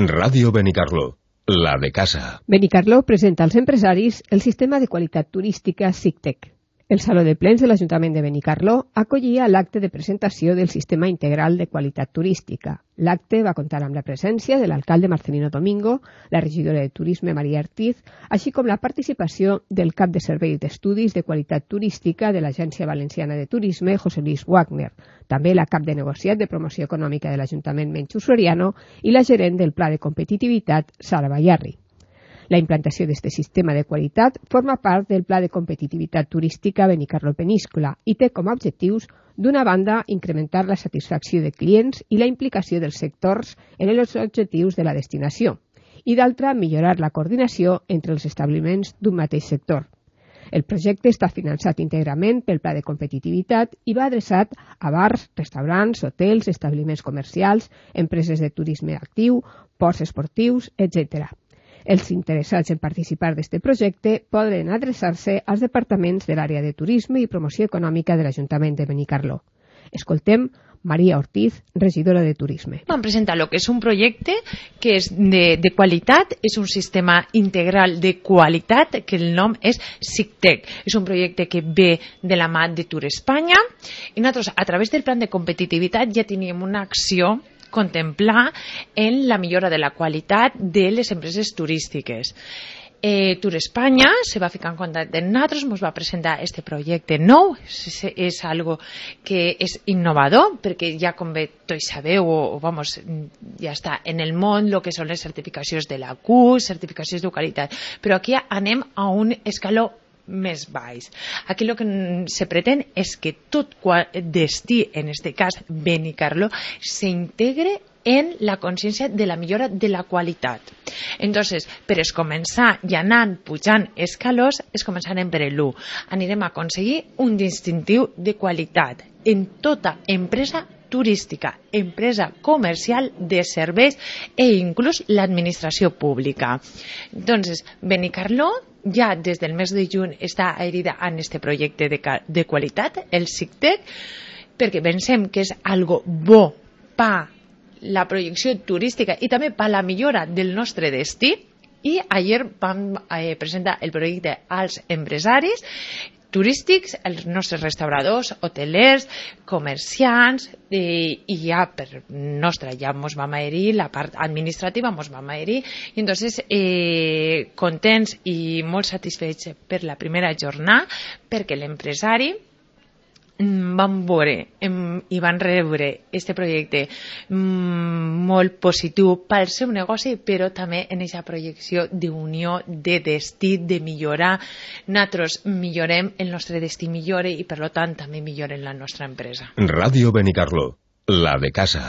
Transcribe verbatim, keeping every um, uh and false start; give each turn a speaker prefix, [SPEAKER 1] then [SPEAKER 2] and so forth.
[SPEAKER 1] Ràdio Benicarló, la de casa.
[SPEAKER 2] Benicarló presenta als empresaris el sistema de qualitat turística SICTEC. El Saló de Plens de l'Ajuntament de Benicarló acollia l'acte de presentació del Sistema Integral de Qualitat Turística. L'acte va comptar amb la presència de l'alcalde Marcelino Domingo, la regidora de Turisme Maria Ortiz, així com la participació del cap de Serveis d'Estudis de Qualitat Turística de l'Agència Valenciana de Turisme, José Luis Wagner, també la cap de negociat de Promoció Econòmica de l'Ajuntament Menchu Soriano i la gerent del Pla de Competitivitat, Sara Bayarri. La implantació d'aquest sistema de qualitat forma part del Pla de Competitivitat Turística Benicarló Peníscola i té com a objectius, d'una banda, incrementar la satisfacció de clients i la implicació dels sectors en els objectius de la destinació, i d'altra, millorar la coordinació entre els establiments d'un mateix sector. El projecte està finançat íntegrament pel Pla de Competitivitat i va adreçat a bars, restaurants, hotels, establiments comercials, empreses de turisme actiu, ports esportius, etcètera. Els interessats en participar d'aquest projecte poden adreçar-se als departaments de l'àrea de turisme i promoció econòmica de l'Ajuntament de Benicarló. Escoltem Maria Ortiz, regidora de Turisme.
[SPEAKER 3] Vam presentar el que és un projecte que és de, de qualitat, és un sistema integral de qualitat, que el nom és SICTEC. És un projecte que ve de la mà de Tour Espanya i nosaltres, a través del plan de competitivitat, ja teníem una acció contemplar en la millora de la qualitat de les empreses turístiques. Eh, Tour Espanya se va ficar en contacte amb nosaltres, ens va presentar este projecte nou, és, és algo que és innovador, perquè ja com bé tots sabeu, o, o vamos, ja està en el món el que són les certificacions de la Q, certificacions de qualitat, però aquí anem a un escaló més baix. Aquí el que se pretén és que tot destí, en este cas Benicarló, s'integre en la consciència de la millora de la qualitat. Entonces, per es començar i anant pujant escalons, es començarem per l'u. Anirem a aconseguir un distintiu de qualitat en tota empresa turística, empresa comercial, de serveis e inclús l'administració pública. Entonces, Benicarló ja des del mes de juny està adherida a aquest projecte de, de qualitat, el SICTEC, perquè pensem que és algo bo per la projecció turística i també per la millora del nostre destí. I ahir vam eh, presentar el projecte als empresaris turístics, els nostres restauradors, hotelers, comerciants, eh, i ja per nostra ja ens vam adherir, la part administrativa ens vam adherir, i entonces eh, contents i molt satisfets per la primera jornada, perquè l'empresari van veure i van rebre aquest projecte molt positiu pel seu negoci, però també en aquesta projecció d'unió, de destí, de millorar. Nosaltres millorem, el nostre destí millora i per tant també milloren la nostra empresa.
[SPEAKER 1] Ràdio Benicarló, la de casa.